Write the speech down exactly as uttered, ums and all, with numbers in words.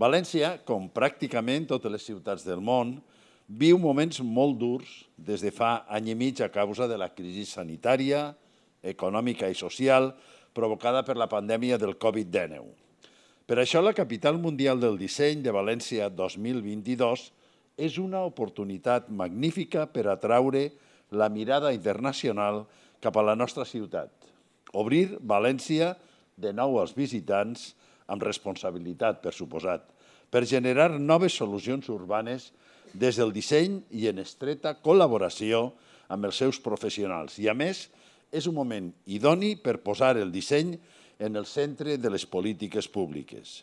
València, com pràcticament totes les ciutats del món, viu moments molt durs des de fa any i mig a causa de la crisi sanitària, econòmica i social provocada per la pandèmia del Covid dinou. Per això la capital mundial del disseny de València dos mil vint-i-dos és una oportunitat magnífica per atraure la mirada internacional cap a la nostra ciutat. Obrir València de nou als visitants, amb responsabilitat, per suposat, per generar noves solucions urbanes des del disseny i en estreta col·laboració amb els seus professionals. I, a més, és un moment idoni per posar el disseny en el centre de les polítiques públiques.